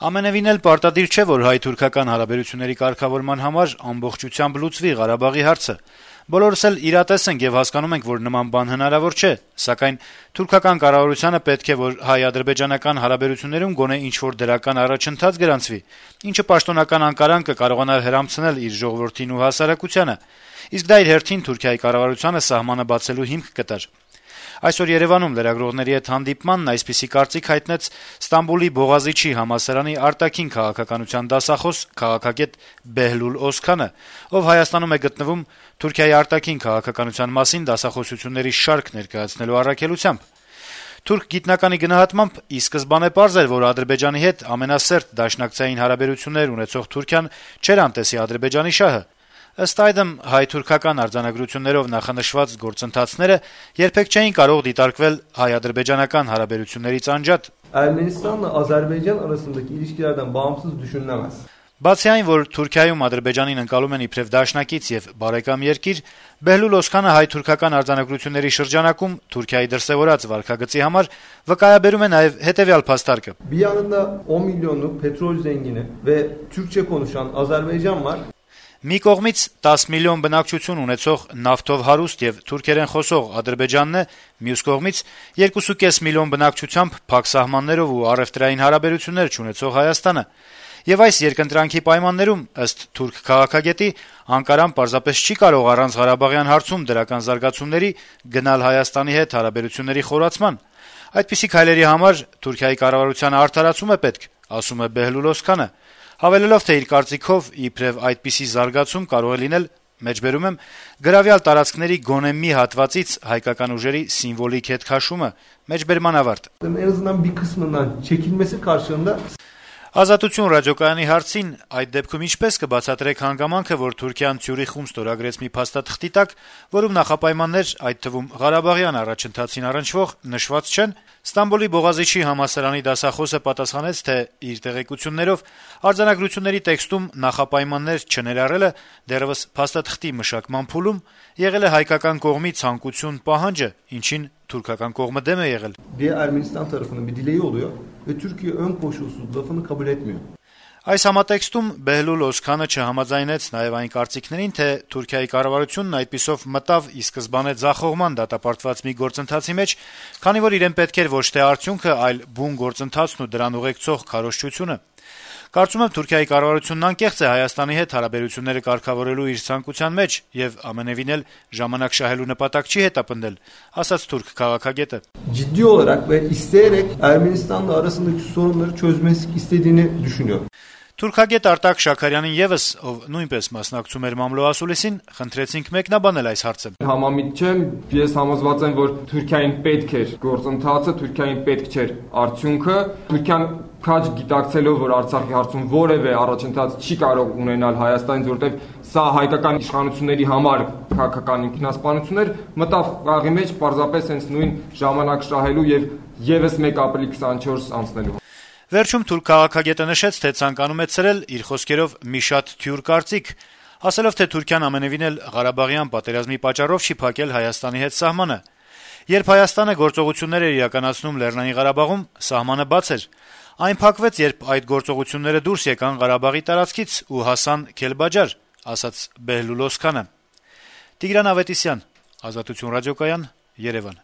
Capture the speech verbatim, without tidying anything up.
Ամենեւին էլ պարտադիր չէ, որ հայ-թուրքական հարաբերությունների կարգավորման համար ամբողջությամբ լուծվի Ղարաբաղի հարցը: Բոլորս էլ իրատես ենք եւ հասկանում ենք, որ նման բան հնարավոր չէ, սակայն թուրքական կառավարությանը պետք է, որ հայ-ադրբեջանական հարաբերություններում գոնե ինչ-որ դրական առաջընթաց գրանցվի, ինչը պաշտոնական Անկարան կկարողանար հրամցնել իր ժողովրդին ու հասարակությանը, իսկ դա իր հերթին Թուրքիայի կառավարությանը սահմանը բացելու հիմք կտար: Այսօր Երեւանում լրագրողների հետ հանդիպմանն այսպիսի կարծիք հայտնեց Ստամբուլի Բողազիչի համալսարանի արտաքին քաղաքականության դասախոս, քաղաքագետ Բեհլուլ Օսքանը, ով Հայաստանում է գտնվում Թուրքիայի արտաքին քաղաքականության մասին դասախոսությունների շարք ներկայացնելու առաքելությամբ: Թուրք գիտնականի գնահատմամբ ի սկզբանե պարզ էր, որ Ադրբեջանի հետ ամենասերտ դաշնակցային հարաբերություններ ունեցող Թուրքիան չէր անտեսի Ադրբեջանի շահը: Ըստ այդմ, հայ-թուրքական արձանագրություններով նախանշված գործընթացները երբեք չէին կարող դիտարկվել հայ-ադրբեջանական հարաբերություններից անջատ: Ermenistan'la Azerbaycan arasındaki ilişkilerden bağımsız düşünülemez. Բացի այն, որ Թուրքիայում Ադրբեջանին ընկալում են իբրև դաշնակից եւ բարեկամ երկիր, Բեհլուլ Օսքանը հայ-թուրքական արձանագրությունների շրջանակում Թուրքիայի դրսեւորած վարքագծի համար վկայաբերում է նաեւ հետեւյալ փաստարկը. Bir yanında on milyonluk petrol zengini ve Türkçe konuşan Azerbaycan var. Մի կողմից տասը միլիոն բնակչություն ունեցող նավթով հարուստ եւ թուրքերեն խոսող Ադրբեջանն է, մյուս կողմից երկու կես միլիոն բնակչությամբ փակ սահմաններով ու առեւտրային հարաբերություններ չունեցող Հայաստանը: Եվ այս երկընտրանքի պայմաններում, ըստ թուրք քաղաքագետի, Անկարան պարզապես չի կարող առանց Ղարաբաղյան հարցում դրական զարգացումների գնալ Հայաստանի հետ հարաբերությունների խորացման: Այդպիսի քայլերի համար Թուրքիայի կառավարությանը արդարացում է պետք, ասում է Բեհլուլ Օսքանը, հավելելով, թե իր կարծիքով իբրեւ այդպիսի զարգացում կարող է լինել, մեջբերում եմ, գրավյալ տարածքների գոնե մի հատվածից հայկական ուժերի սիմվոլիկ հետքաշումը: Մեջբերման ավարտ: En azından bir kısmından çekilmesi karşılığında Ազատություն ռադիոկայանի հարցին այդ դեպքում ինչպես կբացատրեք հանգամանքը, որ Թուրքիան Ցյուրիխում ստորագրեց մի փաստաթղթի տակ, որում նախապայմաններ, այդ թվում Ղարաբաղյան առաջընթացին առնչվող նշված չեն, Ստամբուլի Բողազիչի համալսարանի դասախոսը պատասխանեց, թե իր տեղեկություններով արձանագրությունների տեքստում նախապայմաններ չներառելը դեռեւս փաստաթղթի մշակման փուլում եղել է հայկական կողմի ցանկություն, պահանջը, ինչին թուրքական կողմը դեմ է եղել: Diğer Ermenistan tarafının bir dileği oluyor ve Türkiye ön koşulsuz lafını kabul etmiyor. Այս համատեքստում Բեհլուլ Օսքանը չհամաձայնեց նաեւ այն կարծիքներին, թե Թուրքիայի կառավարությունն այդպիսով մտավ ի սկզբանե ձախողման դատապարտված մի գործընթացի մեջ, քանի որ իրեն պետք էր ոչ թե արդյունքը, այլ բուն գործընթացն ու դրան ուղեկցող քարոզչությունը: Կարծում եմ, Թուրքիայի կառավարությունն անկեղծ է Հայաստանի հետ հարաբերությունները կարգավորելու իր ցանկության մեջ եւ ամենեւին էլ ժամանակ շահելու նպատակ չի հետապնդել, ասաց թուրք քաղաքագետը: Ciddi olarak ve isteyerek Ermenistan'la arasındaki sorunları çözmesi istediğini düşünüyorum. Թուրքագետ Արտակ Շաքարյանին եւս, ով նույնպես մասնակցում էր մամլո ասուլիսին, խնդրեցինք մեկնաբանել այս հարցը: Համամիտ չեմ, ես համոզված եմ, որ Թուրքիային պետք էր գործընթացը, Թուրքիային պետք չէր արդյունքը: Թուրքիան քաջ գիտակցելով, որ Արցախի հարցում որևէ առաջընթաց չի կարող ունենալ Հայաստանից, որտեղ սա հայկական իշխանությունների համար քաղաքական ինքնասպանություն էր, մտավ խաղի մեջ պարզապես հենց նույն ժամանակ շահելու եւ եւս մեկ ապրիլի քսանչորս անցնելու: Վերջում թուրք քաղաքագետը նշեց, թե ցանկանում է ցրել իր խոսքերով մի շատ թյուր կարծիք, ասելով, թե Թուրքիան ամենեւին էլ Ղարաբաղյան պատերազմի պատճառով չի փակել Հայաստանի հետ սահմանը: Երբ Հայաստանը գործողություններ էր իրականացնում Լեռնային Ղարաբաղում, սահմանը բաց էր: Այն փակվեց, երբ այդ գործողությունները դուրս եկան Ղարաբաղի տարածքից ու հասան Քելբաջար, ասաց Բեհլուլ Օսքանը: Տիգրան Ավետիսյան, Ազատություն ռադիոկայան, Երեւան: